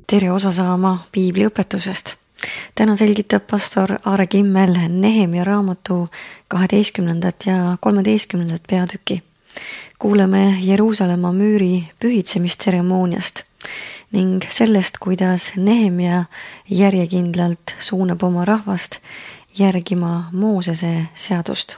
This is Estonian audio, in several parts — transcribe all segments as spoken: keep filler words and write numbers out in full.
tere osa saama piibliõpetusest. Täna selgitab pastor Aare Kimmel Nehemia raamatu kaheteistkümnendat ja kolmeteistkümnendat peatüki. Kuuleme Jeruusalemma müüri pühitsemistseremooniast ning sellest, kuidas Nehemia järjekindlalt suunab oma rahvast järgima Moosese seadust.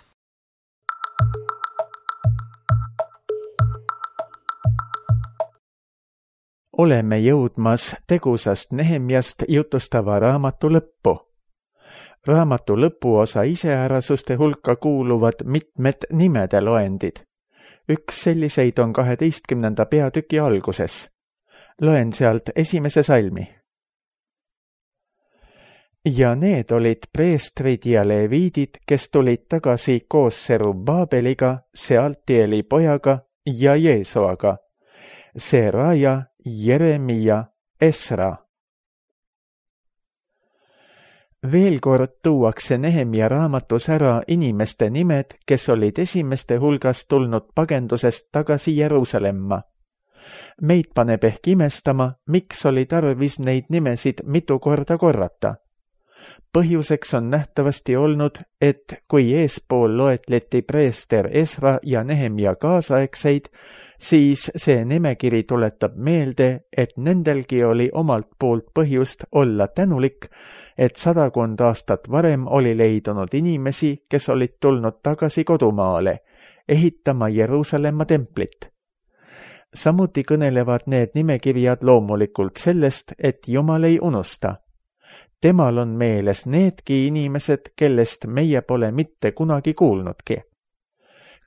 Oleme jõudmas tegusast Nehemjast jutustava raamatu lõppu. Raamatu lõpuosa iseärasuste hulka kuuluvad mitmed nimede loendid. Üks selliseid on kaheteistkümnenda peatüki alguses. Loen sealt esimese salmi. Ja need olid preestrid ja leviidid, kes tulid tagasi koos Serubbabeliga, Sealtieli pojaga ja Jeesuaga, Seraja, Jeremia, Esra. Veel kord tuuakse Nehemia raamatus ära inimeste nimed, kes olid esimeste hulgas tulnud pagendusest tagasi Jeruusalemma. Meid paneb ehk imestama, miks oli tarvis neid nimesid mitu korda korrata. Põhjuseks on nähtavasti olnud, et kui eespool loetleti preester Esra ja Nehemia kaasaegseid, siis see nimekiri tuletab meelde, et nendelgi oli omalt poolt põhjust olla tänulik, et sadakond aastat varem oli leidunud inimesi, kes olid tulnud tagasi kodumaale, ehitama Jeruusalemma templit. Samuti kõnelevad need nimekirjad loomulikult sellest, et Jumal ei unusta. Temal on meeles needki inimesed, kellest meie pole mitte kunagi kuulnudki.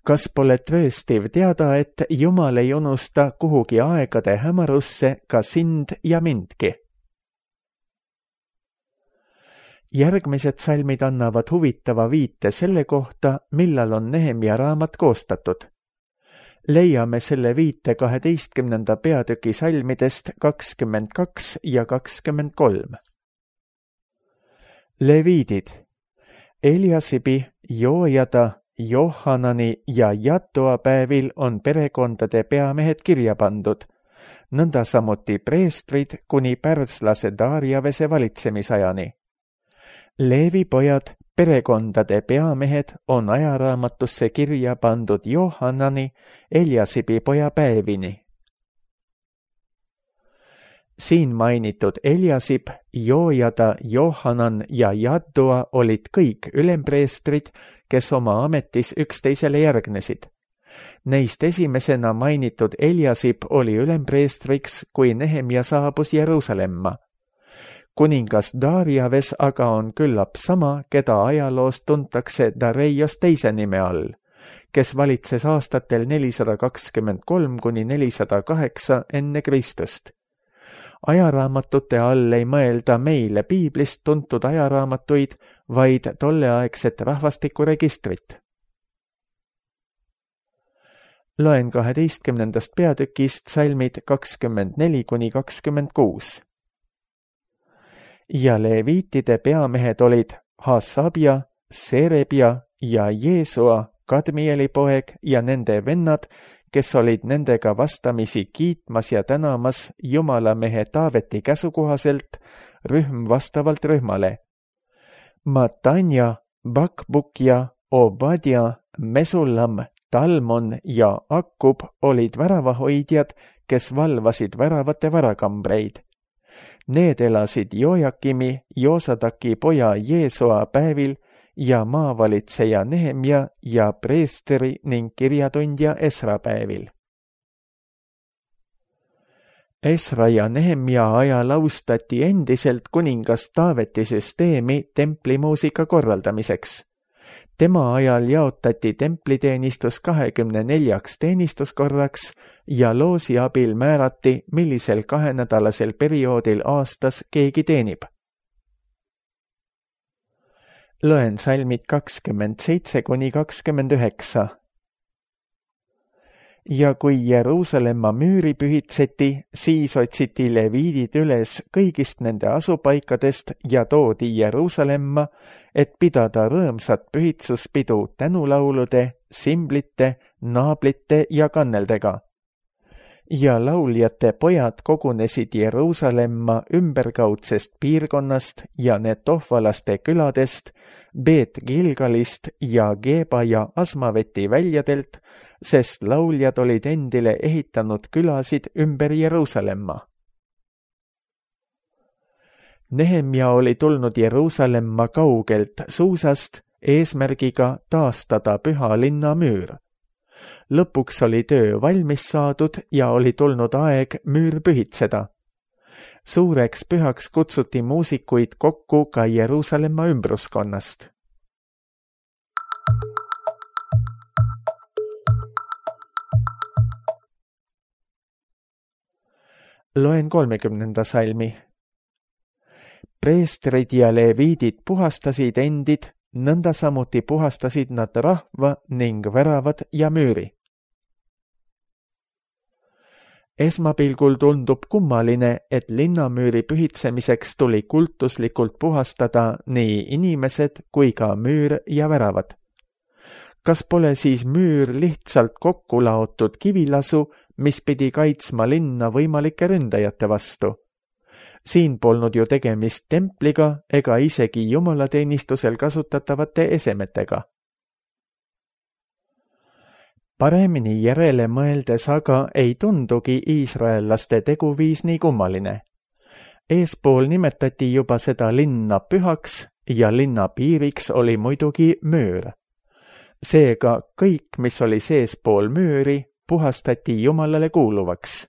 Kas pole trööstiv teada, et Jumal ei unusta kuhugi aegade hämarusse ka sind ja mindki? Järgmised salmid annavad huvitava viite selle kohta, millal on Nehemia raamat koostatud. Leiame selle viite kaheteistkümnenda peatüki salmidest kakskümmend kaks ja kakskümmend kolm. Leviidid. Eliasibi, Joojada, Johanani ja Jattoa päevil on perekondade peamehed kirja pandud, nõnda samuti preestrid kuni pärslase Darjavese valitsemisajani. Leevi pojad, perekondade peamehed, on ajaraamatusse kirja pandud Johanani, Eliasibi poja päevini. Siin mainitud Eliasib, Joojada, Johanan ja Jattoa olid kõik ülempreestrid, kes oma ametis üksteisele järgnesid. Neist esimesena mainitud Eliasib oli ülempreestriks, kui Nehemia saabus Jeruusalemma. Kuningas Darjaves aga on küllap sama, keda ajaloos tuntakse Dareios teise nime all, kes valitses aastatel nelisada kakskümmend kolm kuni nelisada kaheksa enne Kristust. Ajaraamatute all ei mõelda meile piiblist tuntud ajaraamatuid, vaid tolleaegset rahvastikuregistrit. Loen kaheteistkümnendast peatükist salmid kakskümmend neli kuni kakskümmend kuus. Ja leviitide peamehed olid Hasabja, Serebja ja Jeesua, Kadmieli poeg ja nende vennad, kes olid nendega vastamisi kiitmas ja tänamas Jumala mehe Taaveti käsukohaselt, rühm vastavalt rühmale. Matanja, Bakbukja, Obadja, Mesullam, Talmon ja Akkub olid väravahoidjad, kes valvasid väravate varakambreid. Need elasid Jojakimi, Joosadaki poja Jeesua päevil ja maavalitseja Nehemia ja preesteri ning kirjatundja Esra päevil. Esra ja Nehemia ajal austati endiselt kuningas Taaveti süsteemi templimuusika korraldamiseks. Tema ajal jaotati templiteenistus kahekümne neljaks teenistuskorraks ja loosi abil määrati, millisel kahenädalasel perioodil aastas keegi teenib. Loen salmid kakskümmend seitse kuni kakskümmend üheksa. Ja kui Jeruusalemma müüri pühitseti, siis otsiti leviidid üles kõigist nende asupaikadest ja toodi Jeruusalemma, et pidada rõõmsat pühitsuspidu tänulaulude, simblite, naablite ja kanneldega. ja lauljate pojad kogunesid Jeruusalemma ümberkaudsest piirkonnast ja Netohvalaste küladest, Beet Gilgalist ja Geba ja Asmaveti väljadelt, sest lauljad olid endile ehitanud külasid ümber Jeruusalemma. Nehemia oli tulnud Jeruusalemma kaugelt Suusast eesmärgiga taastada püha linna müür. Lõpuks oli töö valmis saadud ja oli tulnud aeg müür pühitseda. Suureks pühaks kutsuti muusikuid kokku ka Jeruusalemma ümbruskonnast. Loen kolmekümnenda salmi. Preestrid ja leviidid puhastasid endid, nõnda samuti puhastasid nad rahva ning väravad ja müüri. Esmapilgul tundub kummaline, et linnamüüri pühitsemiseks tuli kultuslikult puhastada nii inimesed kui ka müür ja väravad. Kas pole siis müür lihtsalt kokku laotud kivilasu, mis pidi kaitsma linna võimalike ründajate vastu? Siin polnud ju tegemist templiga ega isegi jumalateenistusel kasutatavate esemetega. Paremini järele mõeldes aga ei tundugi iisraellaste teguviis nii kummaline. Eespool nimetati juba seda linna pühaks ja linna piiriks oli muidugi müür. Seega kõik, mis oli seespool müüri, puhastati Jumalale kuuluvaks.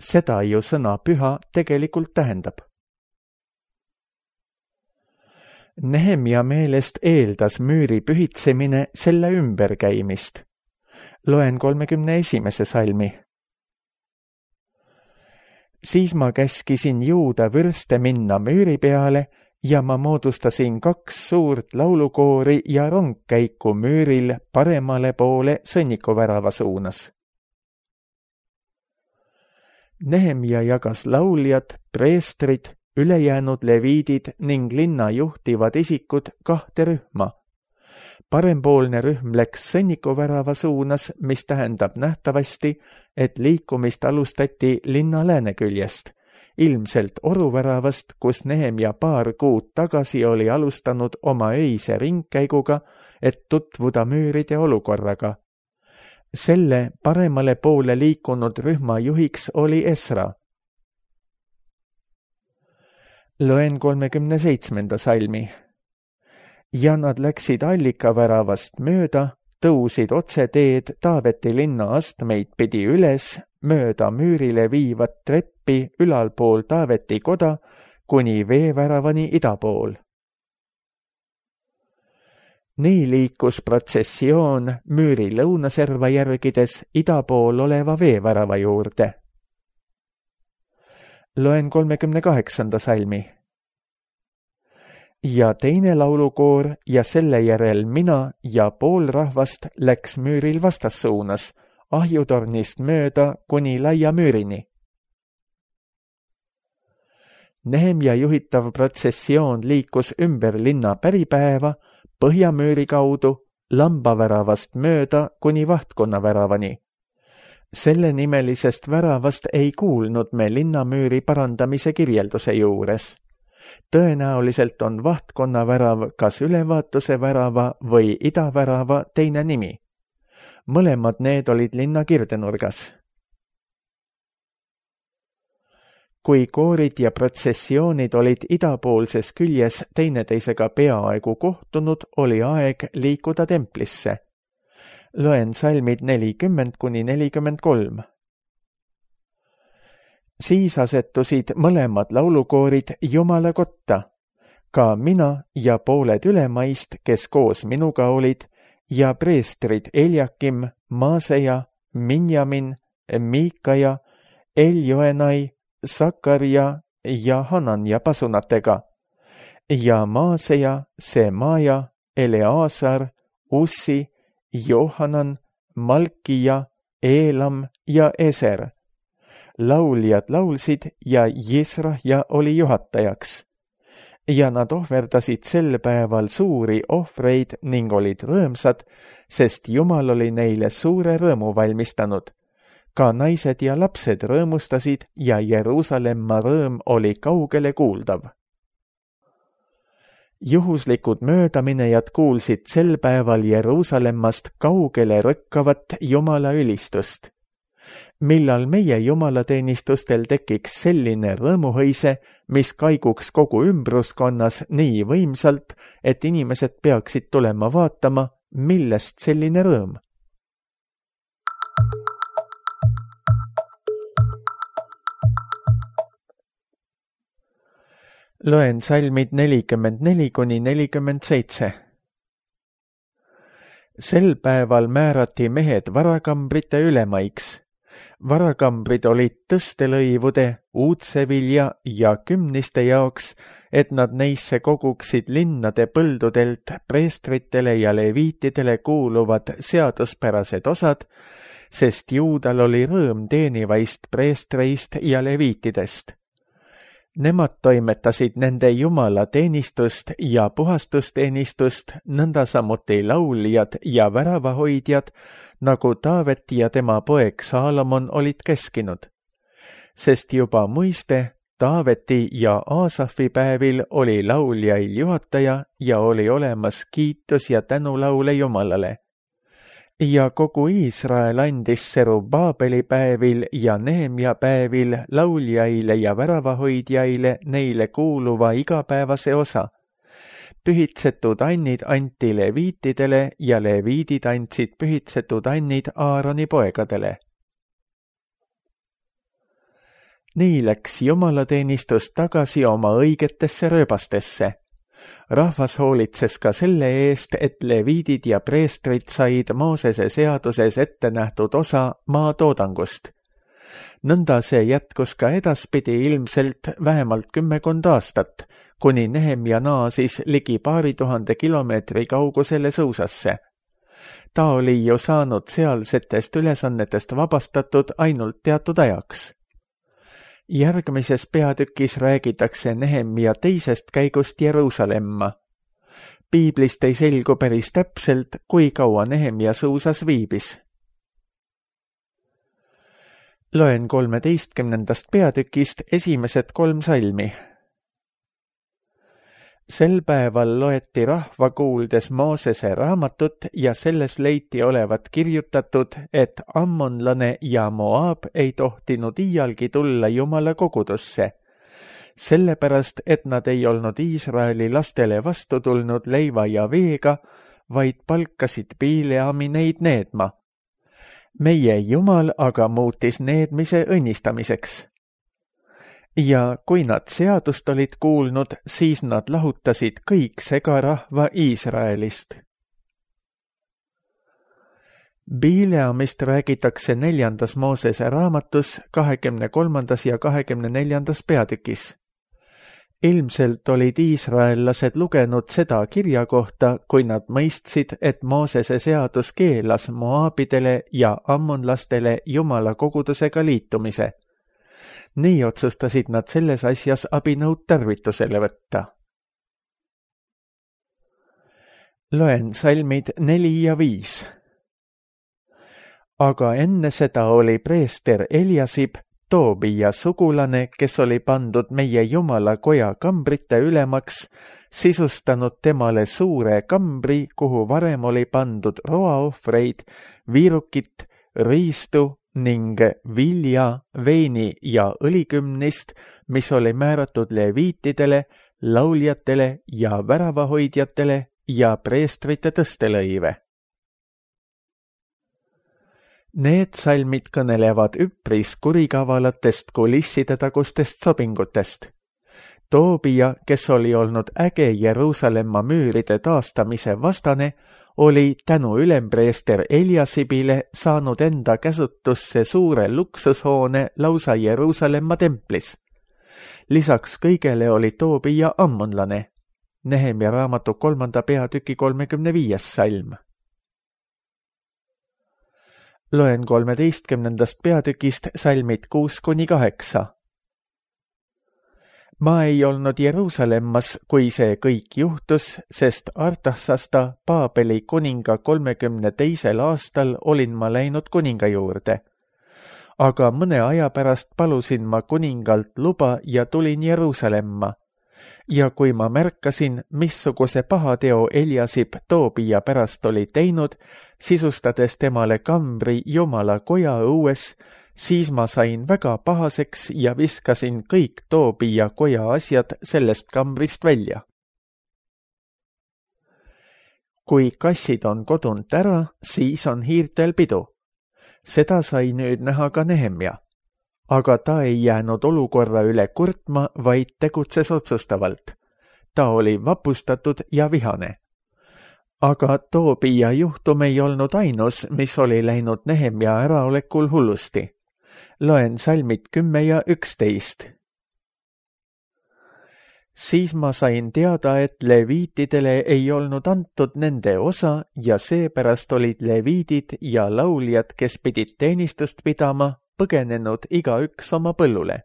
Seda ju sõna püha tegelikult tähendab. Nehemia meelest eeldas müüri pühitsemine selle ümberkäimist. Loen kolmekümne esimese salmi. Siis ma käskisin juuda vürste minna müüri peale ja ma moodustasin kaks suurt laulukoori ja rongkäiku müüril paremale poole sõnnikuvärava suunas. Nehemia jagas lauljad, preestrid, ülejäänud leviidid ning linna juhtivad isikud kahte rühma. Parempoolne rühm läks sõnnikuvärava suunas, mis tähendab nähtavasti, et liikumist alustati linna lääneküljest, ilmselt oruväravast, kus Nehemia paar kuud tagasi oli alustanud oma öise ringkäiguga, et tutvuda müüride olukorraga. Selle paremale poole liikunud rühma juhiks oli Esra. Loen kolmekümne seitsmenda salmi. Ja nad läksid allikaväravast mööda, tõusid otse teed Taaveti linna astmeid pidi üles, mööda müürile viivat treppi ülalpool Taaveti koda kuni veeväravani idapool. Nii liikus protsessioon müüri lõunaserva järgides idapool oleva veevärava juurde. Loen kolmekümne kaheksanda salmi. Ja teine laulukoor ja selle järel mina ja pool rahvast läks müüril vastassuunas, ahjutornist mööda kuni laia müürini. Nehemia juhitav protsessioon liikus ümber linna päripäeva, põhjamüüri kaudu, lambaväravast mööda kuni vahtkonnaväravani. Selle nimelisest väravast ei kuulnud me linnamüüri parandamise kirjelduse juures. Tõenäoliselt on vahtkonnavärav kas ülevaatuse värava või idavärava teine nimi. Mõlemad need olid linna kirdenurgas. Kui koorid ja protsessioonid olid idapoolses küljes teineteisega peaaegu kohtunud, oli aeg liikuda templisse. Loen salmid nelikümmend kuni nelikümmend kolm. Siis asetusid mõlemad laulukoorid Jumala kotta, ka mina ja pooled ülemaist, kes koos minuga olid, ja preestrid Eljakim, Maaseja, Minjamin, Miikaja, Eljoenai, Sakarja ja Hananja pasunatega, ja Maaseja, Semaja, Eleazar, Ussi, Johanan, Malkija, Eelam ja Eser. Lauljad laulsid ja Jisrahja oli juhatajaks. Ja nad ohverdasid sel päeval suuri ohvreid ning olid rõõmsad, sest Jumal oli neile suure rõõmu valmistanud. ka naised ja lapsed rõõmustasid ja Jeruusalemma rõõm oli kaugele kuuldav. Juhuslikud möödaminejad kuulsid sel päeval Jeruusalemmast kaugele rõkkavat Jumala ülistust. Millal meie jumalateenistustel tekiks selline rõõmuhõise, mis kaiguks kogu ümbruskonnas nii võimsalt, et inimesed peaksid tulema vaatama, millest selline rõõm? Loen salmid nelikümmend neli kuni nelikümmend seitse. Sel päeval määrati mehed varakambrite ülemaiks. Varakambrid olid tõstelõivude, uudsevilja ja kümniste jaoks, et nad neisse koguksid linnade põldudelt preestritele ja leviitidele kuuluvad seaduspärased osad, sest juudal oli rõõm teenivaist preestreist ja leviitidest. Nemad toimetasid nende jumala teenistust ja puhastusteenistust, nõnda samuti lauljad ja väravahoidjad, nagu Taaveti ja tema poeg Saalomon olid keskinud. Sest juba muiste, Taaveti ja Aasafi päevil oli lauljail juhataja ja oli olemas kiitus ja tänulaule Jumalale. Ja kogu Iisrael andis Serubaabeli päevil ja Nehemia päevil lauljaile ja väravahoidjaile neile kuuluva igapäevase osa. Pühitsetud annid anti leviitidele ja leviidid andsid pühitsetud annid Aaroni poegadele. Nii läks jumalateenistus tagasi oma õigetesse rööbastesse. Rahvas hoolitses ka selle eest, et leviidid ja preestrid said Moosese seaduses ette nähtud osa maa toodangust. Nõnda see jätkus ka edaspidi ilmselt vähemalt kümmekond aastat, kuni Nehemia naasis ligi paari tuhande kilomeetri kaugusele Suusasse. Ta oli ju saanud sealsetest ülesannetest vabastatud ainult teatud ajaks. Järgmises peatükis räägitakse Nehemia teisest käigust Jeruusalemma. Piiblist ei selgu päris täpselt, kui kaua Nehemia Suusas viibis. Loen kolmeteistkümnendast peatükist esimesed kolm salmi. Sel päeval loeti rahva kuuldes Moosese raamatut ja selles leiti olevat kirjutatud, et ammonlane ja Moab ei tohtinud iialgi tulla Jumala kogudusse, sellepärast, et nad ei olnud Iisraeli lastele vastu tulnud leiva ja veega, vaid palkasid Bileami neid needma. Meie Jumal aga muutis needmise õnnistamiseks. Ja kui nad seadust olid kuulnud, siis nad lahutasid kõik segarahva Iisraelist. Bileamist räägitakse neljandas Moosese raamatus kahekümne kolmandas ja kahekümne neljandas peatükis. Ilmselt olid iisraellased lugenud seda kirja kohta, kui nad mõistsid, et Moosese seadus keelas Moabidele ja ammonlastele Jumala kogudusega liitumise. Nii otsustasid nad selles asjas abinõud tarvitusele võtta. Loen salmid neli ja viis. Aga enne seda oli preester Eliasib, Toobia sugulane, kes oli pandud meie Jumala koja kambrite ülemaks, sisustanud temale suure kambri, kuhu varem oli pandud roaohvreid, viirukit, riistu ning vilja, veini ja õlikümnist, mis oli määratud leviitidele, lauljatele ja väravahoidjatele ja preestrite tõstelõive. Need salmid kõnelevad üpris kurikavalatest kulisside tagustest sobingutest. Toobia, kes oli olnud äge Jeruusalemma müüride taastamise vastane, oli tänu ülempreester Eliasibile saanud enda käsutusse suure luksushoone lausa Jeruusalemma templis. Lisaks kõigele oli Toobia ammonlane. Nehemia raamatu kolmanda peatüki kolmekümne viies salm. Loen kolmeteistkümnendast peatükist salmid kuus kuni kaheksa. Ma ei olnud Jeruusalemmas, kui see kõik juhtus, sest Artaksasta Paabeli kuninga kolmekümne teisel aastal olin ma läinud kuninga juurde. aga mõne aja pärast palusin ma kuningalt luba ja tulin Jeruusalemma. Ja kui ma märkasin, missuguse pahateo Eliasib Toobia pärast oli teinud, sisustades temale kambri Jumala koja õues, siis ma sain väga pahaseks ja viskasin kõik Toobia koja asjad sellest kambrist välja. Kui kassid on kodunt ära, siis on hiirtel pidu. Seda sai nüüd näha ka Nehemia. Aga ta ei jäänud olukorra üle kurtma, vaid tegutses otsustavalt. Ta oli vapustatud ja vihane. Aga Toobia juhtum ei olnud ainus, mis oli läinud Nehemia äraolekul hullusti. Loen salmid kümme ja üksteist. Siis ma sain teada, et leviitidele ei olnud antud nende osa ja seepärast olid leviidid ja lauljad, kes pidid teenistust pidama, põgenenud igaüks oma põllule.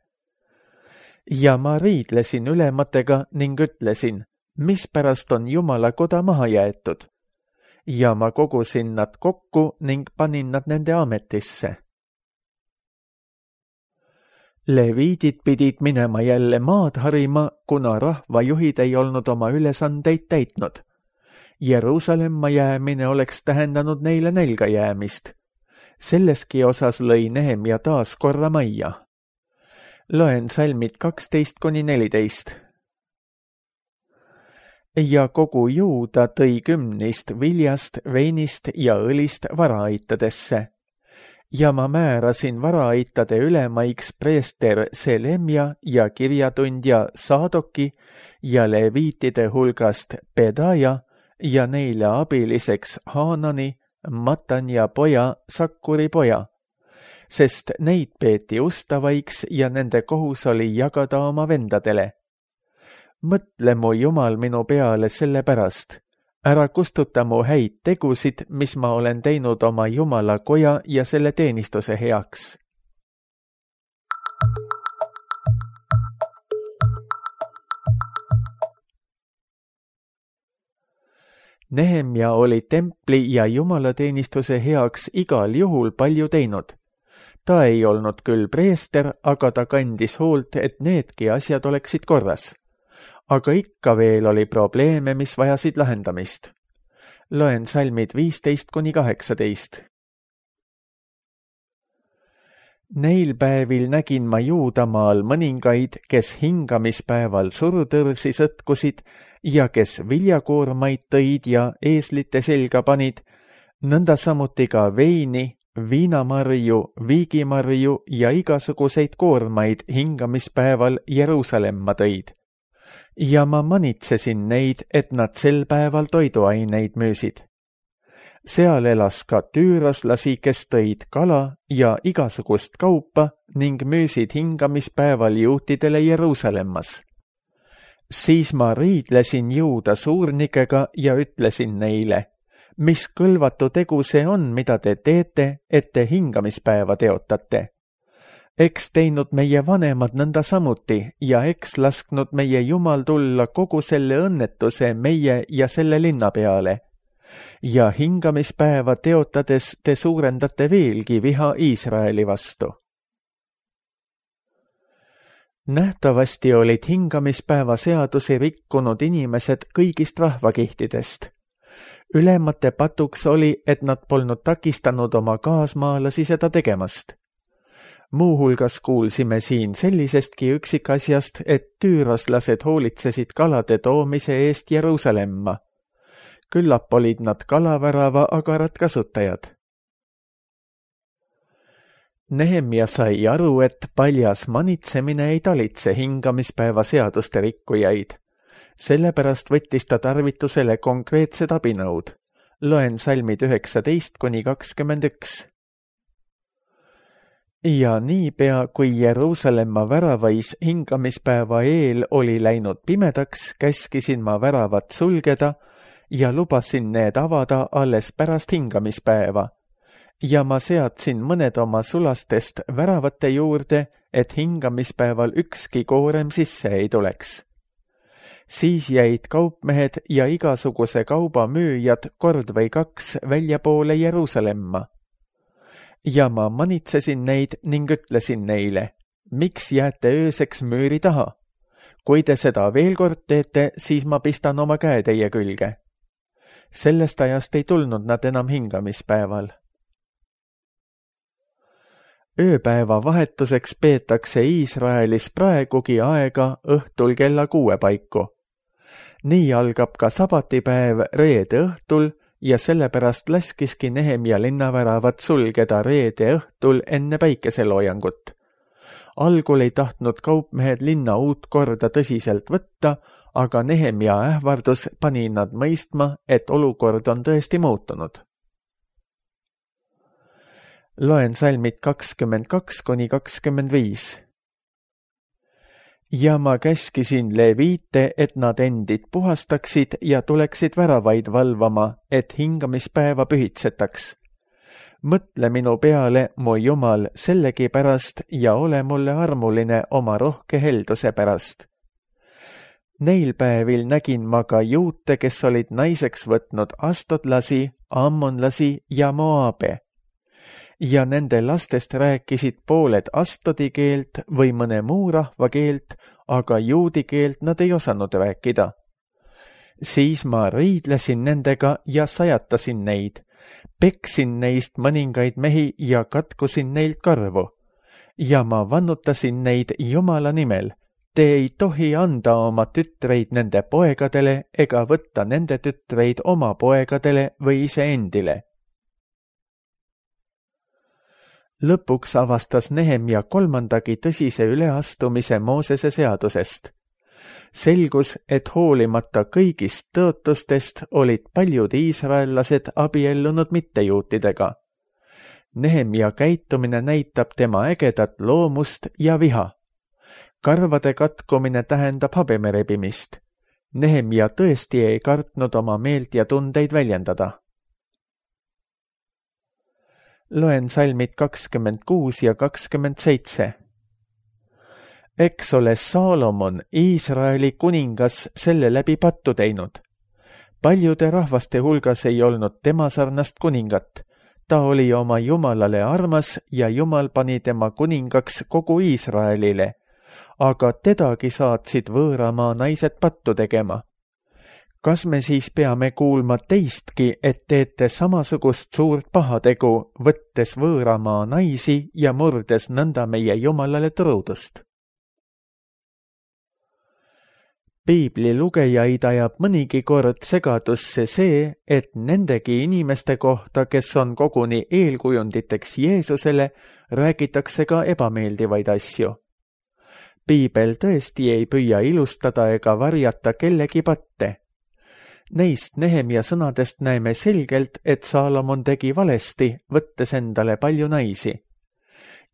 Ja ma riidlesin ülematega ning ütlesin, mispärast on Jumala koda maha jäetud. Ja ma kogusin nad kokku ning panin nad nende ametisse. Leviidid pidid minema jälle maad harima, kuna rahvajuhid ei olnud oma ülesandeid täitnud. Jeruusalemma jäämine oleks tähendanud neile nälga jäämist. Selleski osas lõi Nehemia taas korra majja. Loen salmid kaksteist kuni neliteist. Ja kogu Juuda tõi kümnist viljast, veinist ja õlist varaaitadesse. Ja ma määrasin varaaitade ülemaiks preester Selemja ja kirjatundja Saadoki ja leviitide hulgast Pedaja ja neile abiliseks Haanani, Matanja poja, Sakkuri poja, sest neid peeti ustavaiks ja nende kohus oli jagada oma vendadele. Mõtle mu Jumal minu peale selle pärast. Ära kustuta mu häid tegusid, mis ma olen teinud oma Jumala koja ja selle teenistuse heaks. Nehemia oli templi ja jumalateenistuse heaks igal juhul palju teinud. Ta ei olnud küll preester, aga ta kandis hoolt, et needki asjad oleksid korras. Aga ikka veel oli probleeme, mis vajasid lahendamist. Loen salmid viisteist kuni kaheksateist. Neil päevil nägin ma Juudamaal mõningaid, kes hingamispäeval surutõrsi sõtkusid ja kes viljakoormaid tõid ja eeslite selga panid, nõnda samuti ka veini, viinamarju, viigimarju ja igasuguseid koormaid hingamispäeval Jeruusalemma tõid. Ja ma manitsesin neid, et nad sel päeval toiduaineid müüsid. Seal elas ka tüüroslasi, kes tõid kala ja igasugust kaupa ning müüsid hingamispäeval juutidele Jeruusalemmas. Siis ma riidlesin Juuda suurnikega ja ütlesin neile, mis kõlvatu tegu see on, mida te teete, et te hingamispäeva teotate. Eks teinud meie vanemad nõnda samuti ja eks lasknud meie Jumal tulla kogu selle õnnetuse meie ja selle linna peale. Ja hingamispäeva teotades te suurendate veelgi viha Iisraeli vastu. Nähtavasti olid hingamispäeva seadusi rikkunud inimesed kõigist rahvakihtidest. Ülemate patuks oli, et nad polnud takistanud oma kaasmaalasi seda tegemast. Muuhulgas kuulsime siin sellisestki üksikasjast, et tüüroslased hoolitsesid kalade toomise eest Jeruusalemma. Küllap olid nad kalavärava agarad kasutajad. Nehemia sai aru, et paljas manitsemine ei talitse hingamispäeva seaduste rikkujaid. Sellepärast võttis ta tarvitusele konkreetsed abinõud. Loen salmid üheksateist kuni kakskümmend üks. Ja niipea, kui Jeruusalemma väravais hingamispäeva eel oli läinud pimedaks, käskisin ma väravat sulgeda ja lubasin need avada alles pärast hingamispäeva. Ja ma seadsin mõned oma sulastest väravate juurde, et hingamispäeval ükski koorem sisse ei tuleks. Siis jäid kaupmehed ja igasuguse kauba müüjad kord või kaks väljapoole Jeruusalemma. ja ma manitsesin neid ning ütlesin neile, miks jääte ööseks müüri taha? Kui te seda veel kord teete, siis ma pistan oma käe teie külge. Sellest ajast ei tulnud nad enam hingamispäeval. Ööpäeva vahetuseks peetakse Iisraelis praegugi aega õhtul kella kuue paiku. Nii algab ka sabatipäev reede õhtul ja sellepärast laskiski Nehemia linnaväravad sulgeda reede õhtul enne päikeseloojangut. Algul ei tahtnud kaupmehed linna uut korda tõsiselt võtta, aga Nehemia ähvardus pani nad mõistma, et olukord on tõesti muutunud. Loen salmid kakskümmend kaks kuni kakskümmend viis. Ja ma käskisin leviite, et nad endid puhastaksid ja tuleksid väravaid valvama, et hingamispäeva pühitsetaks. Mõtle minu peale, mu Jumal, sellegi pärast ja ole mulle armuline oma rohke helduse pärast. Neil päevil nägin ma ka juute, kes olid naiseks võtnud astodlasi, ammonlasi ja moaabe. Ja nende lastest rääkisid pooled astodi keelt või mõne muu rahva keelt, aga juudi keelt nad ei osanud rääkida. Siis ma riidlesin nendega ja sajatasin neid. Peksin neist mõningaid mehi ja katkusin neilt karvu. Ja ma vannutasin neid Jumala nimel. Te ei tohi anda oma tütreid nende poegadele ega võtta nende tütreid oma poegadele või iseendile. Lõpuks avastas Nehemia kolmandagi tõsise üleastumise Moosese seadusest. Selgus, et hoolimata kõigist tõotustest olid paljud iisraellased abiellunud mittejuutidega. Nehemia käitumine näitab tema ägedat loomust ja viha. Karvade katkumine tähendab habeme rebimist. Nehemia tõesti ei kartnud oma meelt ja tundeid väljendada. Loen salmid kakskümmend kuus ja kakskümmend seitse. Eks ole Saalomon, Iisraeli kuningas, selle läbi pattu teinud. Paljude rahvaste hulgas ei olnud tema sarnast kuningat. Ta oli oma Jumalale armas ja Jumal pani tema kuningaks kogu Iisraelile, aga tedagi saatsid võõramaa naised pattu tegema. Kas me siis peame kuulma teistki, et teete samasugust suurt pahategu, võttes võõramaa naisi ja murdes nõnda meie Jumalale truudust? Piibli lugejaid ajab mõnigi kord segadusse see, et nendegi inimeste kohta, kes on koguni eelkujunditeks Jeesusele, räägitakse ka ebameeldivaid asju. Piibel tõesti ei püüa ilustada ega varjata kellegi patte. Neist Nehemia sõnadest näeme selgelt, et Saalomon tegi valesti, võttes endale palju naisi.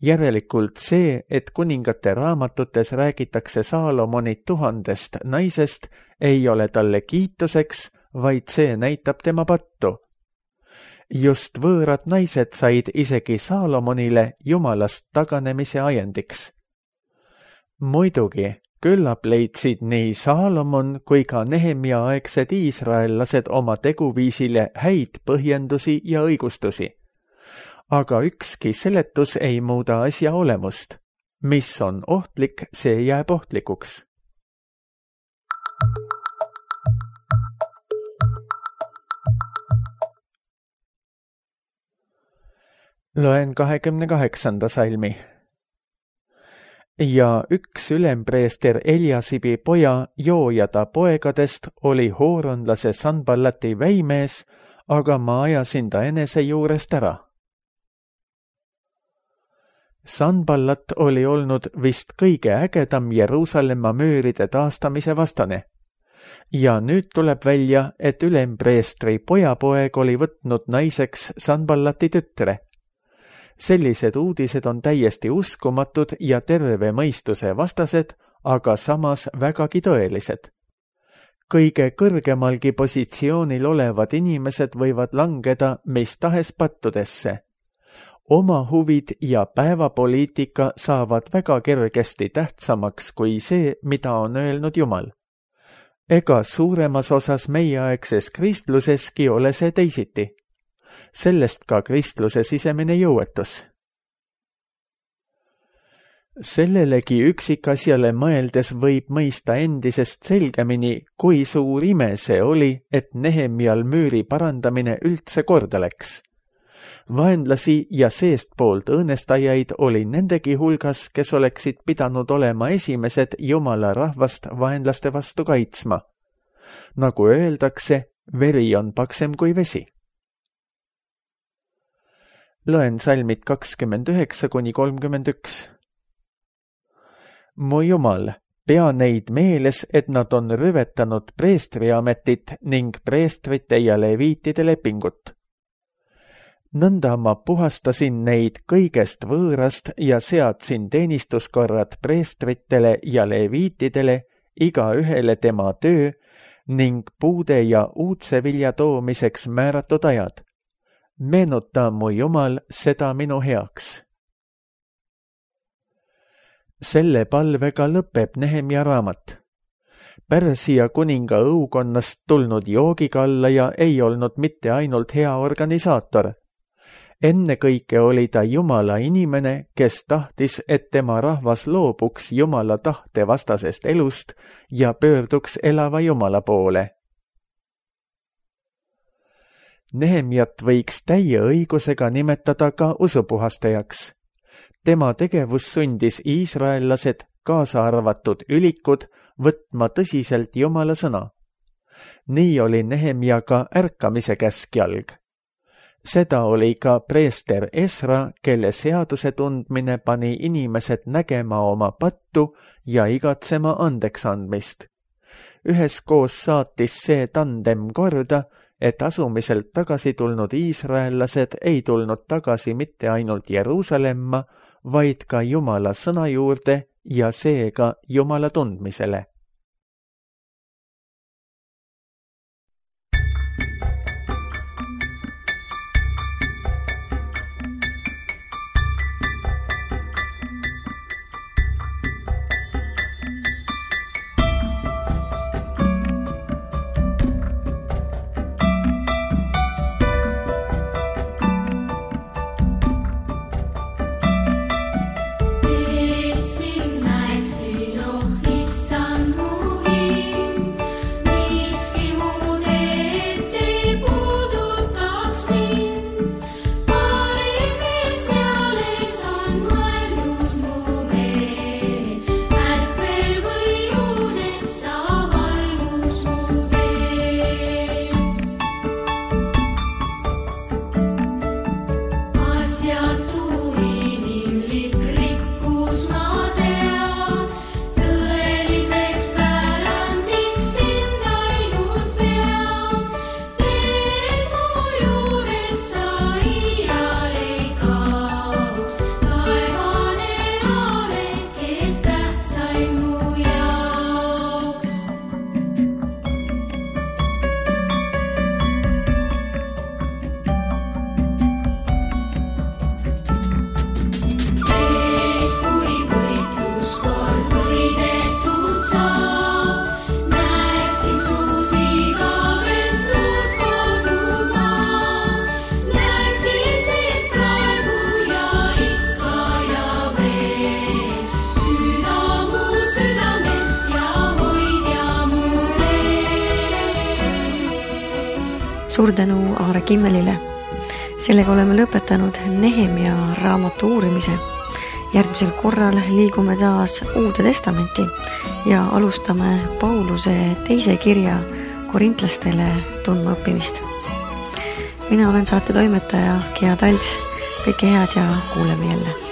Järelikult see, et kuningate raamatutes räägitakse Saalomoni tuhandest naisest, ei ole talle kiituseks, vaid see näitab tema pattu. Just võõrad naised said isegi Saalomonile Jumalast taganemise ajendiks. Muidugi, küllap leidsid nii Saalomon kui ka Nehemia aegsed iisraellased oma teguviisile häid põhjendusi ja õigustusi. Aga ükski seletus ei muuda asja olemust. Mis on ohtlik, see jääb ohtlikuks. Loen kahekümne kaheksanda salmi. Ja üks ülempreester Eliasibi poja Joojada poegadest oli hooronlase Sanballati väimees, aga ma ajasin ta enese juurest ära. Sanballat oli olnud vist kõige ägedam Jeruusalemma mööride taastamise vastane. Ja nüüd tuleb välja, et ülempreestri pojapoeg oli võtnud naiseks Sanballati tütre. Sellised uudised on täiesti uskumatud ja terve mõistuse vastased, aga samas vägagi tõelised. Kõige kõrgemalgi positsioonil olevad inimesed võivad langeda mis tahes pattudesse. Oma huvid ja päevapoliitika saavad väga kergesti tähtsamaks kui see, mida on öelnud Jumal. Ega suuremas osas meieaegses kristluseski ole see teisiti. sellest ka kristluse sisemine jõuetus. Sellelegi üksikasjale mõeldes võib mõista endisest selgemini, kui suur ime see oli, et Nehemial müüri parandamine üldse korda läks. Vaenlasi ja seestpoolt õõnestajaid oli nendegi hulgas, kes oleksid pidanud olema esimesed Jumala rahvast vaenlaste vastu kaitsma. Nagu öeldakse, veri on paksem kui vesi. Loen salmid kakskümmend üheksa kuni kolmkümmend üks. Mu Jumal, pea neid meeles, et nad on rüvetanud preestriametit ning preestrite ja leviitide lepingut. Nõnda ma puhastasin neid kõigest võõrast ja seadsin teenistuskorrad preestritele ja leviitidele, iga ühele tema töö ning puude ja uudse vilja toomiseks määratud ajad. Meenuta, mu Jumal, seda minu heaks. Selle palvega lõpeb Nehemia raamat. Pärsia kuninga õukonnast tulnud joogikallaja ei olnud mitte ainult hea organisaator. Ennekõike oli ta Jumala inimene, kes tahtis, et tema rahvas loobuks Jumala tahte vastasest elust ja pöörduks elava Jumala poole. Nehemiat võiks täie õigusega nimetada ka usupuhastajaks. Tema tegevus sundis iisraellased, kaasa arvatud ülikud, võtma tõsiselt Jumala sõna. Nii oli Nehemia ka ärkamise käskjalg. Seda oli ka preester Esra, kelle seaduse tundmine pani inimesed nägema oma pattu ja igatsema andeks andmist. Üheskoos saatis see tandem korda, et asumiselt tagasi tulnud iisraellased ei tulnud tagasi mitte ainult Jeruusalemma, vaid ka Jumala sõna juurde ja seega Jumala tundmisele. Suur tänu Aare Kimmelile. Sellega oleme lõpetanud Nehemia raamatu uurimise. Järgmisel korral liigume taas Uude Testamenti ja alustame Pauluse teise kirja korintlastele tundma õppimist. Mina olen saate toimetaja Gea Talts. Kõike head ja kuuleme jälle.